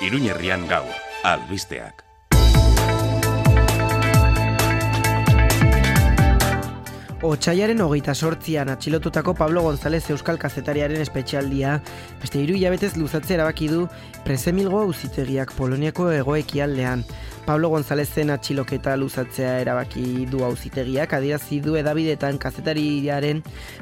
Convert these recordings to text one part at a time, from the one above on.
Iruñerrian gaur, albisteak. Otsailaren 28an atxilotutako Pablo González euskal kazetariaren espetxealdia beste 3 hilabetez luzatzea erabaki du Prezemilgo auzitegiak Poloniako hego-ekialdean. Pablo Gonzálezen atxiloketa luzatzea erabaki du auzitegiak, adierazi du hedabideetan kazetariaren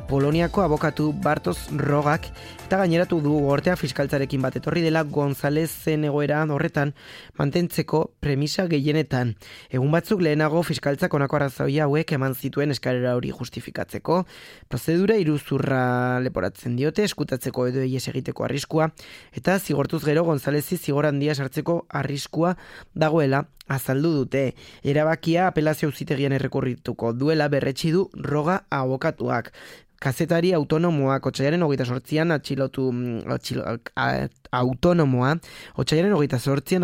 Poloniako abokatu Bartosz Rogak, eta gaineratu du gortea fiskaltzarekin bat etorri dela Gonzálezen egoera horretan mantentzeko premisa gehienetan. Egun batzuk lehenago fiskaltzak honako arrazoia hauek eman zituen eskarera hori justifikatzeko. Prozedura iruzurra leporatzen diote, eskutatzeko edo ihes egiteko arriskua, eta zigortuz gero Gonzálezi zigor handia sartzeko arriskua dagoela azaldu dute. Erabakia apelazio auzitegian errekurrituko duela berretsi du Roga abokatuak. Kazetari autonomoak otsailaren 28an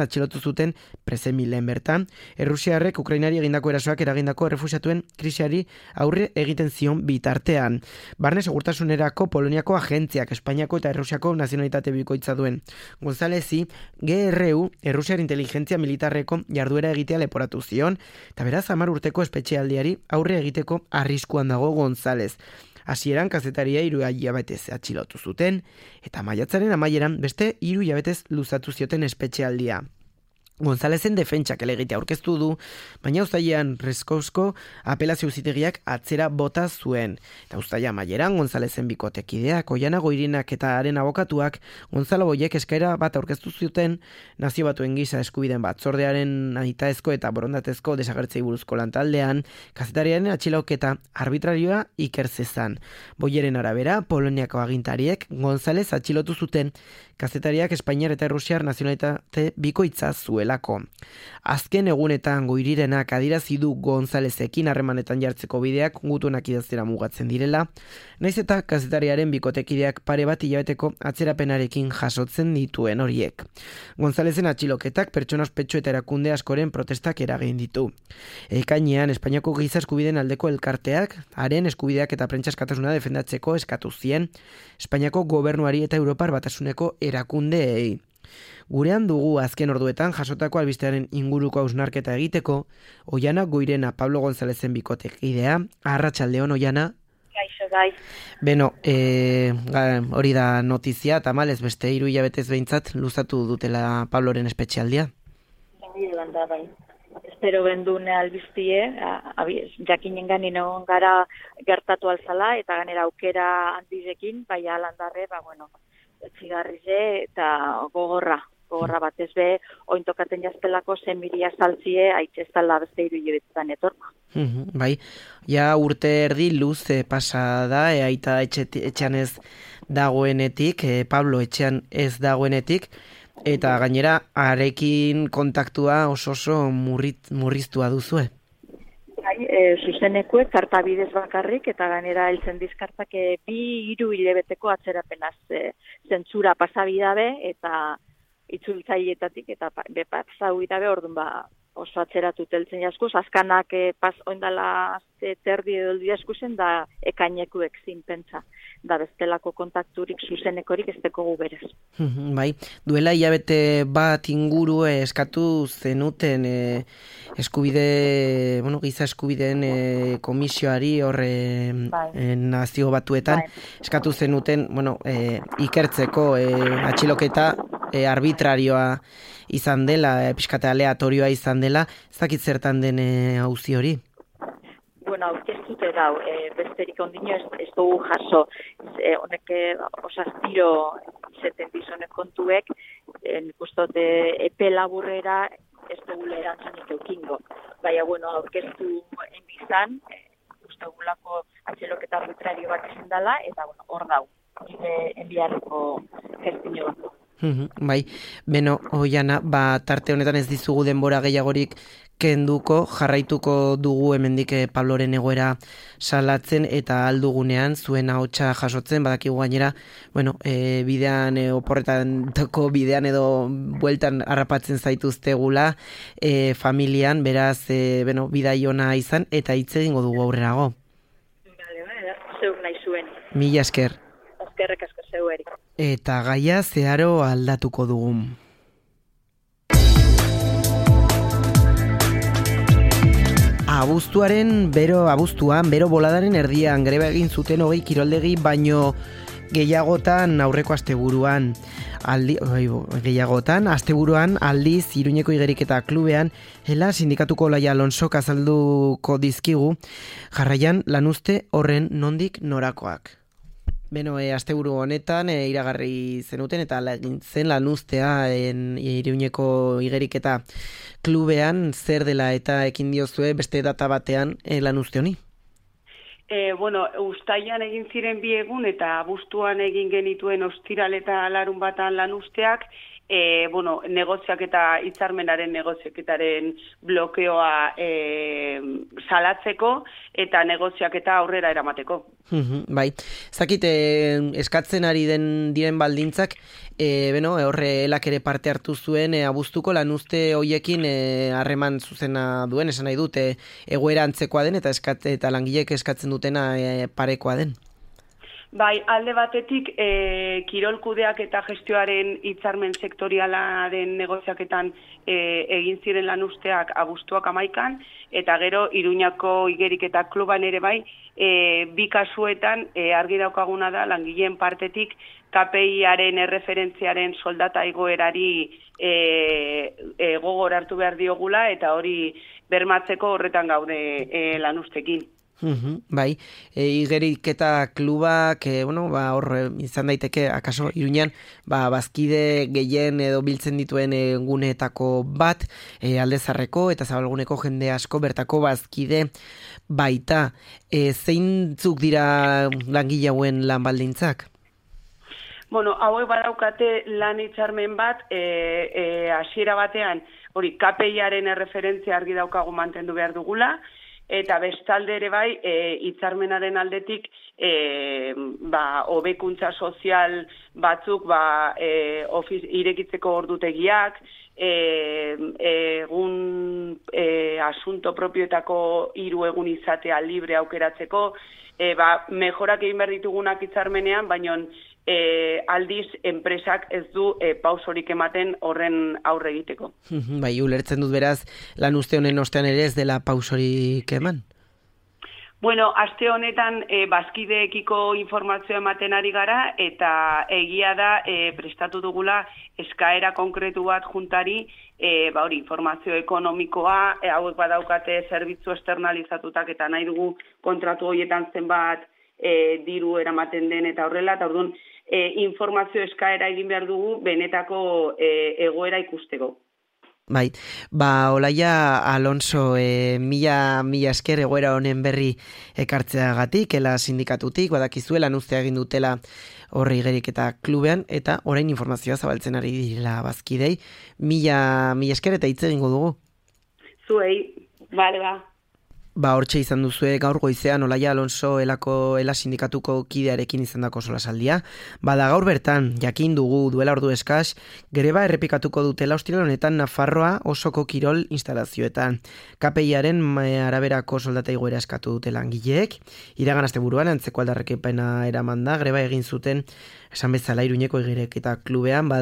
atxilotu zuten Prezemilen bertan, Errusiarrek Ukrainari egindako erasoak eragindako errefuxiatuen krisiari aurre egiten zion bitartean. Barne segurtasunerako Poloniako agentziak Espainiako eta Errusiako nazionalitate bikoitza duen Gonzálezi GRU Errusiar inteligentzia militarreko jarduera egitea leporatu zion, eta beraz 10 urteko espetxealdiari aurre egiteko arriskuan dago González. Hasieran kazetaria 3 hilabetez atxilotu zuten, eta maiatzaren amaieran beste 3 hilabetez luzatu zioten espetxealdia. Gonzálezen defentsak helegitea aurkeztu du, baina uztailean Reskozko apelazio auzitegiak atzera bota zuen. Eta uztaila amaieran Gonzálezen bikotekideak, Oiana Goirinak eta haren abokatuak Gonzalo Boyek eskaera bat aurkeztu zuten Nazio Batuen Giza Eskubideen Batzordearen nahitaezko eta borondatezko desagertzei buruzko lantaldean, kazetariaren atxiloketa arbitrarioa iker zezan. Boyeren arabera, Poloniako agintariek González atxilotu zuten kazetariak Espainiar eta Errusiar nazionalitate bikoitza zuelako. Azken egunetan Goirirenak adierazi du Gonzálezekin harremanetan jartzeko bideak gutunak idaztera mugatzen direla, naiz eta kazetariaren bikotekideak pare bat hilabeteko atzerapenarekin jasotzen dituen horiek. Gonzálezen atxiloketak pertsona ospetsu eta erakunde askoren protestak eragin ditu. Ekainean Espainiako giza eskubideen aldeko elkarteak haren eskubideak eta prentsa askatasuna defendatzeko eskatu zien Espainiako gobernuari eta Europar Batasuneko erakundeei. Gurean dugu azken orduetan jasotako albistearen inguruko hausnarketa egiteko, Oiana Goirena Pablo Gonzálezen bikotekidea. Arratsaldeon, Oiana. Gaixo bai. Beno, hori da notizia, tamalez beste 3 hilabetez behintzat luzatu dutela Pabloren espetxealdia. Bai. Espero bendune albiztie, jakinengan egon gara gertatu alzala, eta ganera aukera handizekin, bai alandarre, etzigarrize eta gogorra batez be, ointokaten jaztelako zemiria saltzie, aitzestala beste 3 hilabetetan etorko. Bai, ja urte erdi luze pasa da, aita etxean ez dagoenetik, Pablo etxean ez dagoenetik, eta gainera arekin kontaktua oso murriztua duzue. Zuzenekuek karta bidez bakarrik, eta gainera heltzen dizkartak 2-3 hilabeteko atzerapenaz zentzura pasabidabe, eta itzultzaileetatik, eta bepazau idabe orduan oso atzeratu teltzen jaskuz, azkanak oindala terdi edo jaskuzen, da ekainekuek zinpentsa, da bestelako kontakturik zuzenekorik ez dekogu berez. Bai, duela hilabete bat inguru eskatu zenuten giza eskubideen komisioari horre Nazio Batuetan, eskatu zenuten ikertzeko atxiloketa arbitrarioa izan dela, pixkate aleatorioa izan dela, ez dakit zertan den auzi hori? Aurkeztute dau, besterik ondino ez dugu jaso, honek osastiro zeten bizonek kontuek, nik uste epe laburrera ez dugu erantzunik eukingo. Baina, aurkeztu enbizan, uste dugulako atxeloketa arbitrario bat izan dela, eta hor dau, enbiarreko gestino bat. Bai, beno, Oiana, tarte honetan ez dizugu denbora gehiagorik kenduko, jarraituko dugu hemendik Pabloren egoera salatzen eta aldugunean zuen ahotsa jasotzen, badakigu gainera, bidean oporretako bidean edo bueltan harrapatzen zaituztegula familian, beraz, bidai ona izan eta hitz egingo dugu aurrerago. Zeuk nahi zuen. Mila esker. Eskerrek asko zeueri. Eta gaia zeharo aldatuko dugun. Abuztuan, bero boladaren erdian, greba egin zuten 20 kiroldegi, baino gehiagotan aurreko asteburuan. Asteburuan aldiz Iruñeko Igeriketa klubean, Ela sindikatuko Olaia Alonsok azalduko dizkigu, jarraian lanuzte horren nondik norakoak. Beno, asteburu honetan iragarri zenuten eta egin zen lanuztea Iruñeko Igeriketa klubean, zer dela eta ekin diozue beste data batean lanuzte honi? Uztailan egin ziren 2 egun eta abuztuan egin genituen ostiral eta larun batan lanuzteak, negoziaketa hitzarmenaren negoziaketaren blokeoa salatzeko eta negoziaketa aurrera eramateko. Bai, zakit eskatzen ari diren baldintzak, horre elak ere parte hartu zuen abuztuko lanuzte hoiekin harreman zuzena duen, esan nahi dut, egoera antzekoa den eta langileek eskatzen dutena parekoa den. Bai, alde batetik, kirolkudeak eta gestioaren hitzarmen sektorialaren negoziaketan egin ziren lanuzteak abuztuak 11 eta gero Iruñako Igeriketa kluban ere bai, 2 kasuetan argi daukaguna da langileen partetik KPI-aren erreferentziaren soldata igoerari gogor hartu behar diogula eta hori bermatzeko horretan gaude lanuztekin. Bai, Igeriketa klubak, hor izan daiteke, akaso Iruñan, bazkide gehien edo biltzen dituen guneetako bat, Aldezarreko eta Zabalguneko jende asko bertako bazkide baita. Zeintzuk dira langile hauen lan baldintzak? Hauek badaukate lan hitzarmen bat, hasiera batean, hori KPI-aren erreferentzia argi daukagu mantendu behar dugula, eta bestalde ere bai, hitzarmenaren aldetik, hobekuntza sozial batzuk, irekitzeko ordutegiak, egun asunto propioetako 3 egun izatea libre aukeratzeko, mejorak egin behar ditugunak hitzarmenean, baina aldiz enpresak ez du pausorik ematen horren aurre egiteko. Bai, ulertzen dut beraz, lanuzte honen ostean ere ez dela pausorik eman? Aste honetan bazkideekiko informazioa ematen ari gara eta egia da prestatu dugula eskaera konkretu bat juntari, informazio ekonomikoa, hauek badaukate zerbitzu externalizatutak eta nahi dugu kontratu horietan zenbat diru eramaten den eta horrela, eta orduan informazio eskaera egin behar dugu benetako egoera ikusteko. Bai, Olaia Alonso, mila esker egoera honen berri ekartzeagatik, Ela sindikatutik, badakizue lanuztea egin dutela horri Igeriketa klubean, eta orain informazioa zabaltzen ari dira bazkidei. Mila esker eta hitz egingo dugu. Zuei, bale ba. Hortxe izan duzue gaur goizean Olaia Alonso Ela sindikatuko kidearekin izandako solasaldia. Gaur bertan, jakin dugu duela ordu eskas, greba errepikatuko dutela ostiral honetan Nafarroa osoko kirol instalazioetan. KPI-aren araberako soldata igoera eskatu dute langileek. Iragan asteburuan antzeko aldarrekepena eraman da, greba egin zuten esan bezala Iruñeko Igeriketa klubean,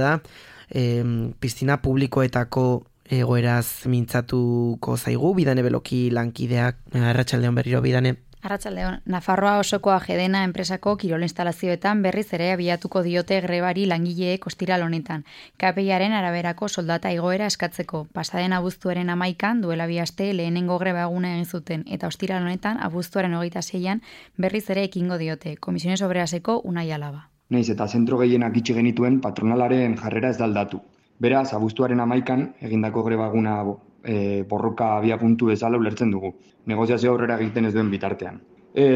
piztina publikoetako egoeraz mintzatuko zaigu, Bidane Beloki lankideak. Arratsaldeon berriro, Bidane. Arratsaldeon, Nafarroa osoko Ajedena enpresako kirol instalazioetan berriz ere abiatuko diote grebari langileek ostiral honetan. KPI-aren araberako soldata igoera eskatzeko. Pasaden abuztuaren 11 duela 2 aste lehenengo greba eguna egin zuten eta ostiral honetan abuztuaren 26an berriz ere ekingo diote. Komisiones Obreraseko Unai Alaba. Naiz eta zentro gehienak itxi genituen patronalaren jarrera ez da aldatu. Beraz, abuztuaren 11an egindako greba eguna borroka abia puntu bezala ulertzen dugu. Negoziazio aurrera egiten ez duen bitartean.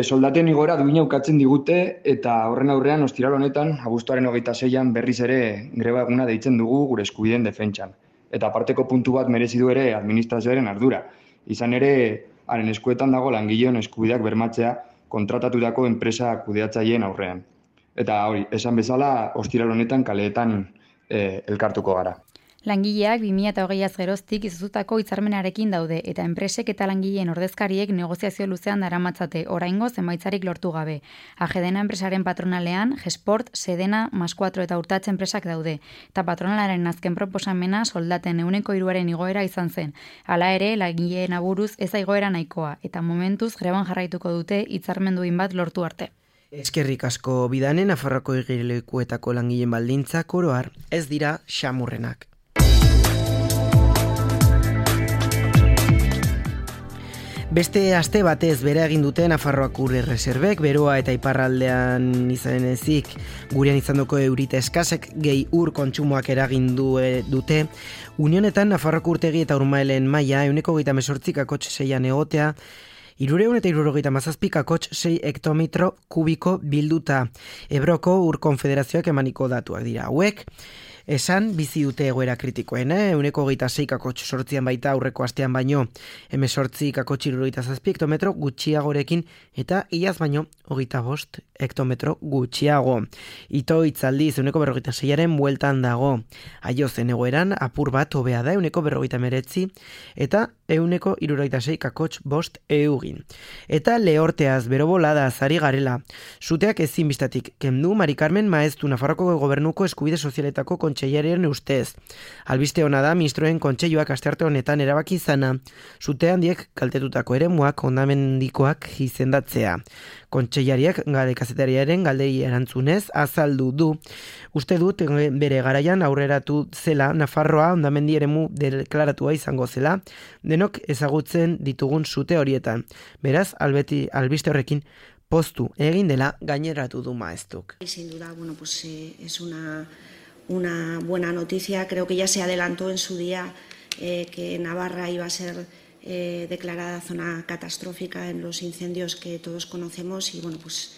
Soldaten igoera duina ukatzen digute eta horren aurrean ostiral honetan abuztuaren 26an berriz ere greba eguna deitzen dugu gure eskubideen defentsan. Eta aparteko puntu bat merezi du ere administrazioaren ardura. Izan ere, haren eskuetan dago langileon eskubideak bermatzea kontratatutako enpresa kudeatzaileen aurrean. Eta hori, esan bezala, ostiral honetan kaleetan elkartuko gara. Langileak 2020az geroztik izoztutako hitzarmenarekin daude eta enpresek eta langileen ordezkariek negoziazio luzean daramatzate oraingoz emaitzarik lortu gabe. AGEDENA enpresaren patronalean, Gesport, Sedena, Mas4 eta Urtatxe enpresak daude eta patronalaren azken proposamena soldaten 3% igoera izan zen. Hala ere, langileen aburuz ez da igoera nahikoa eta momentuz greban jarraituko dute hitzarmen duin bat lortu arte. Eskerrik asko Bidane, Nafarroako igerilekuetako langileen baldintzak oro har ez dira xamurrenak. Beste aste batez bere egin dute Nafarroako ur erreserbek, beroa eta iparraldean izan ezik gurean izandako eurite eskasek gehi ur kontsumoak eragin dute. Unionetan Nafarroako urtegi eta urmaelen maila 128,6 egotea, 377,6 hektometro kubiko bilduta. Ebroko ur konfederazioak emaniko datuak dira hauek. Esan bizi dute egoera kritikoen, 126,8 baita aurreko astean baino, 18,77 hektometro gutxiagorekin eta iaz baino 25 hektometro gutxiago. Ito itzaldiz 146aren bueltan dago. Aiozen egoeran apur bat hobea da 149 eta 166,5 eugin. Eta lehorteaz bero bolada zari garela. Suteak ezin bistatik kendu Mari Carmen Maeztu Nafarroko gobernuko eskubide sozialetako kontseilariaren ustez. Albiste hona da ministroen kontseiluak astearte honetan erabaki izana, sute handiek kaltetutako eremuak hondamendikoak izendatzea. Kontseilariak kazetariaren galdei erantzunez azaldu du. Uste dut bere garaian aurreratu zela Nafarroa hondamendi eremu deklaratua izango zela, denok ezagutzen ditugun sute horietan. Beraz, albiste horrekin poztu egin dela gaineratu du Maeztuk. Sin duda, bueno, pues es una buena noticia. Creo que ya se adelantó en su día que Navarra iba a ser declarada zona catastrófica en los incendios que todos conocemos y bueno, pues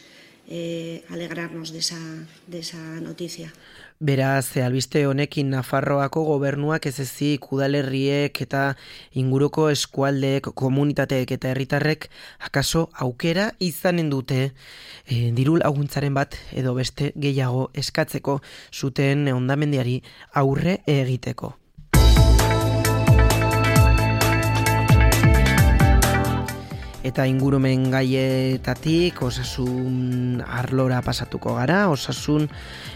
alegrarnos de esa noticia. Beraz, albiste honekin Nafarroako gobernuak ez ezik udalerriek eta inguruko eskualdeek, komunitateek eta herritarrek akaso aukera izanen dute diru laguntzaren bat edo beste gehiago eskatzeko zuten hondamendiari aurre egiteko. Eta ingurumen gaietatik osasun arlora pasatuko gara, osasun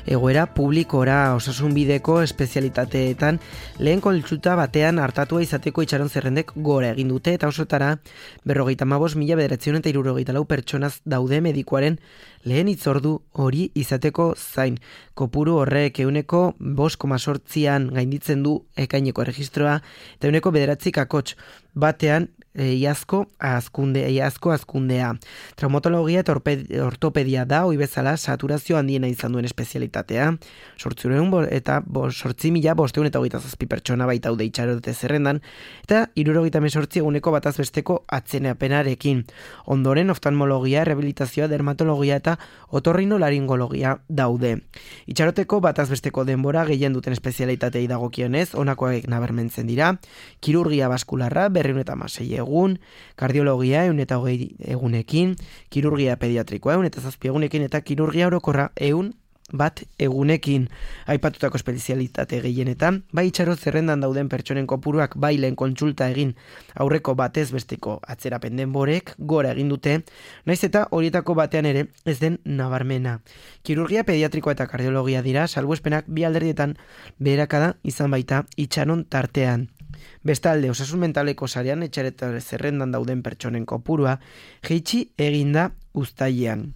egoera publikora, osasun bideko espezialitateetan lehen kontsulta batean hartatua izateko itxaron zerrendek gora egin dute eta osotara 55,974 pertsonaz daude medikuaren lehen hitzordu hori izateko zain. Kopuru horrek 5,8an gainditzen du ekaineko erregistroa eta 9,9 batean iazko azkundea. Traumatologia eta ortopedia da hoi bezala saturazio handiena izan duen espezialitatea. 8.527 pertsona baita daude itxarote zerrendan eta 78 bataz besteko atzeneapenarekin. Ondoren oftalmologia, rehabilitazioa, dermatologia eta otorrinolaringologia daude. Itxaroteko bataz besteko denbora gehien duten espezialitatei dagokionez, honakoak nabarmentzen dira: kirurgia baskularra 216 egun, kardiologia 120 egunekin, kirurgia pediatrikoa 107 egunekin eta kirurgia orokorra 101 egunekin. Aipatutako espezialitate gehienetan, bai itxaro zerrendan dauden pertsonen kopuruak bai lehen kontsulta egin aurreko batez besteko atzerapen denborek gora egin dute, naiz eta horietako batean ere ez den nabarmena. Kirurgia pediatrikoa eta kardiologia dira salbuespenak bi alderdietan beherakada izan baita itxaron tartean. Bestalde, osasun mentaleko sarean etxareta zerrendan dauden pertsonen kopurua jeitsi eginda uztailean.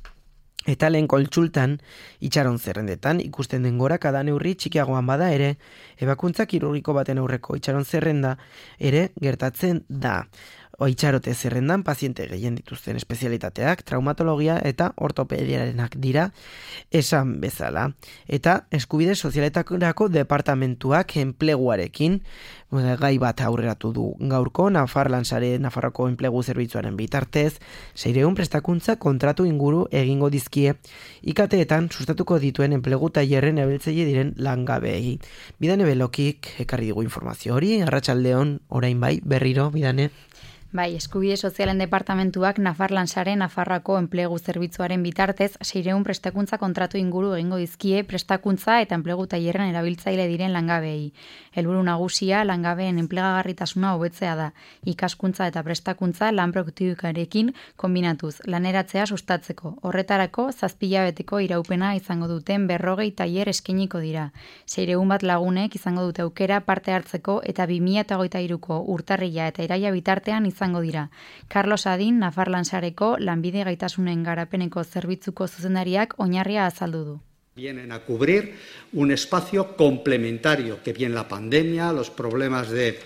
Eta lehen kontsultan, itxaron zerrendetan, ikusten den gorakada neurri txikiagoan bada ere, ebakuntza kirurgiko baten aurreko itxaron zerrenda ere gertatzen da. Itxarote zerrendan paziente gehien dituzten espezialitateak, traumatologia eta ortopediarenak dira esan bezala. Eta eskubide sozialetarako departamentuak enpleguarekin gai bat aurreratu du gaurko Nafarlan sare Nafarroko enplegu zerbitzuaren bitartez, 600 prestakuntza kontratu inguru egingo dizkie IKTetan sustatuko dituen enplegu tailerren erabiltzaile diren langabeei. Bidane Belokik ekarri digu informazio hori, arratsaldeon orain bai berriro Bidane. Bai, Eskubide Sozialen Departamentuak Nafarlansaren Nafarroako enplegu zerbitzuaren bitartez 600 prestakuntza kontratu inguru egingo dizkie prestakuntza eta enplegu tailerren erabiltzaile diren langabeei. Helburu nagusia langabeen enplegagarritasuna hobetzea da. Ikaskuntza eta prestakuntza lan produktibikarekin kombinatuz, laneratzea sustatzeko. Horretarako 7 hilabeteko iraupena izango duten 40 tailer eskainiko dira. 600 bat lagunek izango dute aukera parte hartzeko eta 2023ko urtarrila eta iraila bitartean izango dira. Carlos Adin, Nafarlansareko lanbide gaitasunen garapeneko zerbitzuko zuzendariak oinarria azaldu du. Vienen a cubrir un espacio complementario que bien la pandemia, los problemas de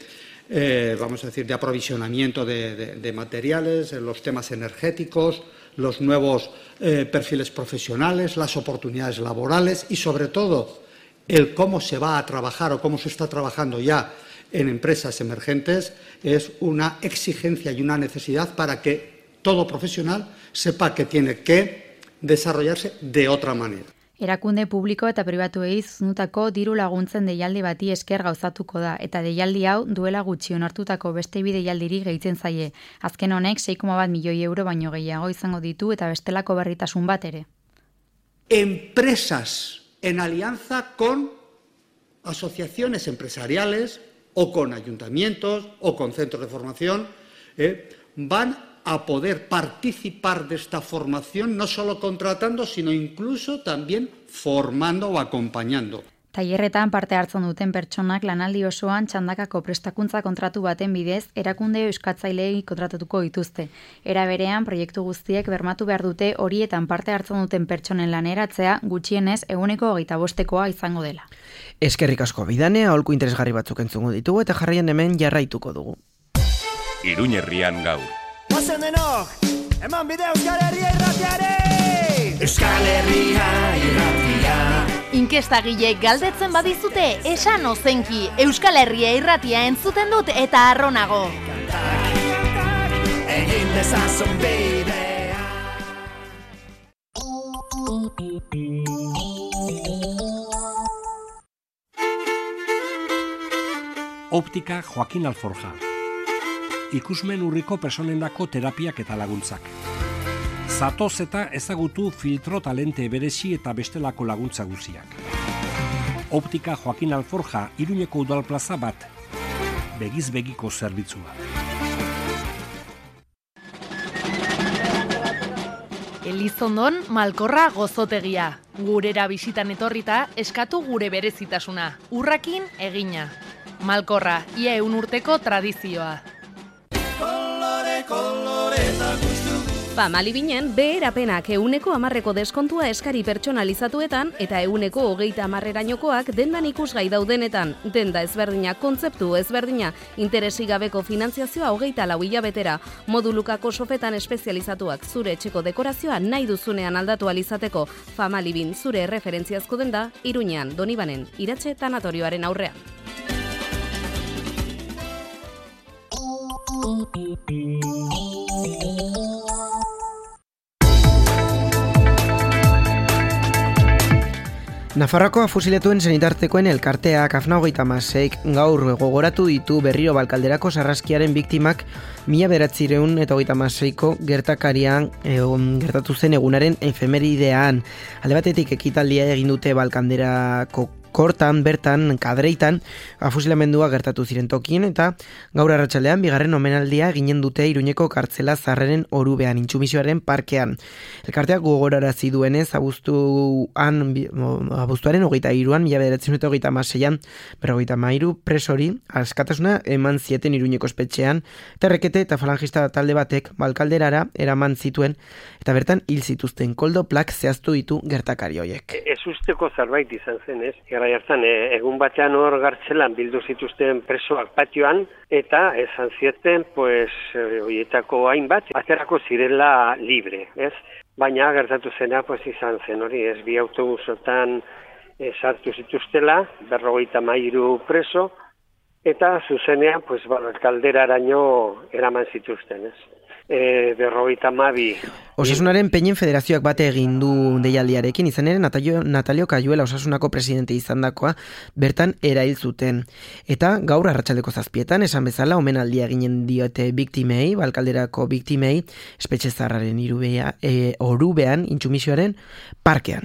de aprovisionamiento de materiales, los temas energéticos, los nuevos perfiles profesionales, las oportunidades laborales y sobre todo el cómo se va a trabajar o cómo se está trabajando ya en empresas emergentes es una exigencia y una necesidad para que todo profesional sepa que tiene que desarrollarse de otra manera. Erakunde publiko eta pribatuei zuzendutako diru laguntzen deialdi bati esker gauzatuko da, eta deialdi hau duela gutxi onartutako beste bi deialdiri gehitzen zaie. Azken honek 6,1 milioi euro baino gehiago izango ditu eta bestelako berritasun bat ere. Empresas en alianza con asociaciones empresariales o con ayuntamientos o con centros de formación van a poder participar de esta formación no solo contratando, sino incluso también formando o acompañando. Tailerretan parte hartzen duten pertsonak lanaldi osoan txandakako prestakuntza kontratu baten bidez erakunde euskatzaileei kontratatuko dituzte. Era berean, proiektu guztiek bermatu behar dute horietan parte hartzen duten pertsonen laneratzea gutxienez 25%koa izango dela. Eskerrik asko Bidane, aholku interesgarri batzuk entzungo ditugu eta jarraian hemen jarraituko dugu. Iruña Herrian gaur. Ozen denok, eman bide Euskal Herria irratiare! Euskal Herria irratia. Inkestagilek galdetzen badizute, esan ozenki, Euskal Herria irratia entzuten dut eta harronago. Kantak, egin dezazun bidea. Optika Joaquin Alforja. Ikusmen urriko personendako terapiak eta laguntzak. Zatoz eta ezagutu filtro talente berezi eta bestelako laguntza guziak. Optika Joaquin Alforja, Iruñeko udalplaza bat. Begiz begiko zerbitzua. Elizondon Malkorra gozotegia. Gurera bisitan etorrita eskatu gure berezitasuna. Urrakin egina. Malkorra, ia 100 urteko tradizioa. Famalibinen beherapenak 110% deskontua eskari pertsonalizatuetan eta 130%erainokoak dendan ikusgai daudenetan. Denda ezberdina, kontzeptu ezberdina, interesi gabeko finantziazioa 24 hilabetera. Modulukako sofetan espezializatuak zure etxeko dekorazioa nahi duzunean aldatu alizateko. Famalibin zure referentziazko denda Iruñean, Donibanen, Iratxe tanatorioaren aurrean. Nafarroako afusiletuen senitartekoen elkarteak AFNA 36 gaur gogoratu ditu berriro Balkalderako sarraskiaren biktimak 1936ko gertakarian gertatu zen egunaren efemeridean. Alde batetik ekitaldia egin dute Balkalderako kortan, bertan, kadreitan, afusilamendua gertatu ziren tokien eta gaur arratsaldean bigarren omenaldia eginen dute Iruñeko kartzela zarreren orubean, intsumisioaren parkean. Elkarteak gogorarazi duenez, abuztuaren 23an, 1936an, 53 presori, askatasuna eman zieten Iruñeko espetxean, eta rekete eta falangista talde batek Balkalderara eraman zituen, eta bertan hil zituzten koldo plak zehaztu ditu gertakari horiek. Ez usteko zerbait izan zen, ez? Garai hartan egun batean hor gartzelan bildu zituzten presoak patioan eta esan zieten, horietako hainbat aterako zirela libre, ez? Baina gertatu zena izan zen hori, ez? Bi autobusotan sartu zituztela, 53 preso eta zuzenean Balkalderaraino eraman zituzten, ez? 52. Osasunaren Peinen Federazioak bate egin du deialdiarekin, izan ere Natalio Kayuela Osasunako presidente izandakoa bertan erail zuten. Eta gaur arratsaldeko 7:00 esan bezala omenaldia eginen diote biktimei, Balkalderako biktimei, espetxe zaharraren Orubean Intsumisioaren parkean.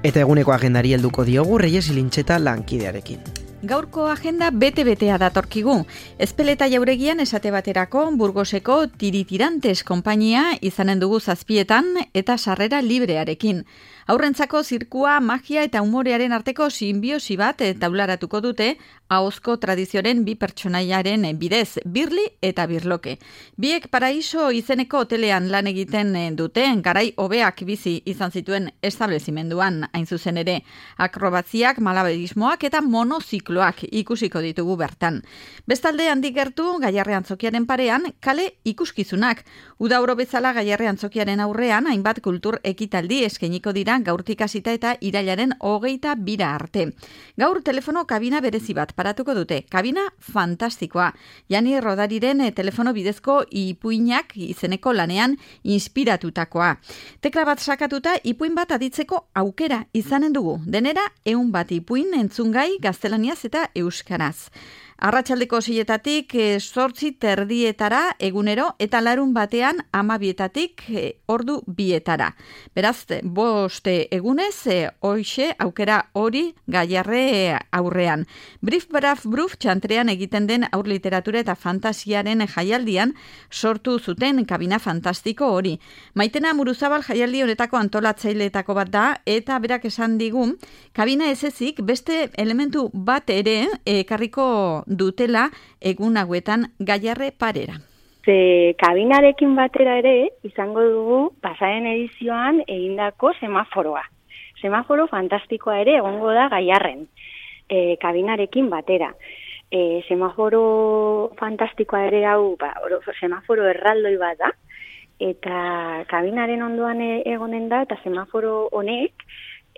Eta eguneko agendari helduko diogu Reyes Ilintxeta lankidearekin. Gaurko agenda bete-betea datorkigu. Ezpeleta jauregian esate baterako Burgoseko Tiritirantes konpainia izanen dugu 7:00 eta sarrera librearekin. Aurrentzako zirkua, magia eta umorearen arteko sinbiosi bat taularatuko dute ahozko tradizioaren bi pertsonaiaren bidez, Birli eta Birloke. Biek Paraiso izeneko hotelean lan egiten dute, garai hobeak bizi izan zituen establezimenduan, hain zuzen ere. Akrobaziak, malabarismoak eta monozikloak ikusiko ditugu bertan. Bestalde handik gertu, Gaiarre Antzokiaren parean, kale ikuskizunak. Udauro bezala Gaiarre Antzokiaren aurrean, hainbat kultur ekitaldi eskainiko dira gaurtik hasita eta irailaren 22 arte. Gaur telefono kabina berezi bat paratuko dute. Kabina fantastikoa. Jani Rodariren telefono bidezko ipuinak izeneko lanean inspiratutakoa. Tekla bat sakatuta ipuin bat aditzeko aukera izanen dugu. Denera 100 ipuin entzungai gaztelaniaz eta euskaraz. Arratsaldeko 6:00 8:30 egunero eta larun batean 12:00 ordu 2:00. Beraz, 5 egunez, hoxe aukera hori Gaiarre aurrean. Brief txantrean egiten den aur literatura eta fantasiaren jaialdian sortu zuten kabina fantastiko hori. Maitena Muruzabal jaialdi honetako antolatzaileetako bat da, eta berak esan digu, kabina ez ezik beste elementu bat ere ekarriko dutela egun hauetan Gaiarre parera. Kabinarekin batera ere izango dugu pasaren edizioan egindako semaforoa. Semaforo fantastikoa ere egongo da Gaiarren, kabinarekin batera. Semaforo fantastikoa ere hau, semaforo erraldoi bat da, eta kabinaren ondoan egonen da, eta semaforo honek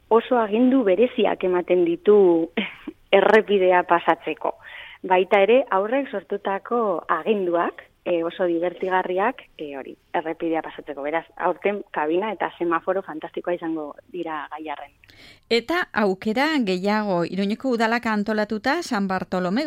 oso agindu bereziak ematen ditu errepidea pasatzeko. Baita ere, aurrek sortutako aginduak, oso divertigarriak, hori, errepidea pasatzeko. Beraz, aurten kabina eta semaforo fantastikoa izango dira Gaiarren. Eta aukera gehiago, Iruñeko udalak antolatuta San Bartolome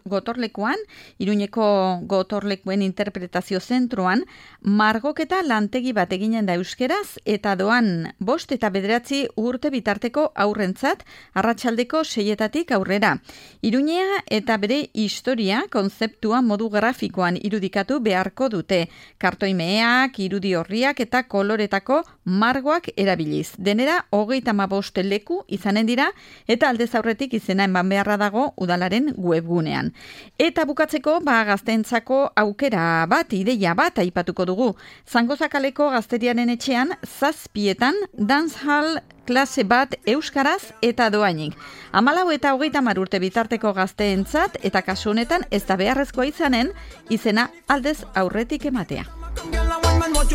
gotorlekuan, Iruñeko gotorlekuen interpretazio zentroan, margoketa lantegi bat eginen da euskeraz, eta doan 5 eta 9 urte bitarteko aurrentzat, arratsaldeko 6:00 aurrera. Iruñea eta bere historia konzeptua modu grafikoan irudikatu beharko dute. Kartoimeak, irudi horriak eta koloretako margoak erabiliz. Denera 35 leku izanen dira eta aldez aurretik izena eman beharra dago udalaren webgunean. Eta bukatzeko gazteentzako aukera bat, ideia bat aipatuko dugu. Zangozakaleko gazteriaren etxean 7:00 dancehall klase bat euskaraz eta doainik. 14 eta 30 urte bitarteko gazteentzat eta kasu honetan ez da beharrezkoa izanen izena aldez aurretik ematea.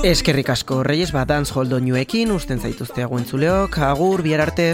Eskerrik asko, Reyes, dancehall doinuekin usten zaituzte entzuleok, agur, bihar arte.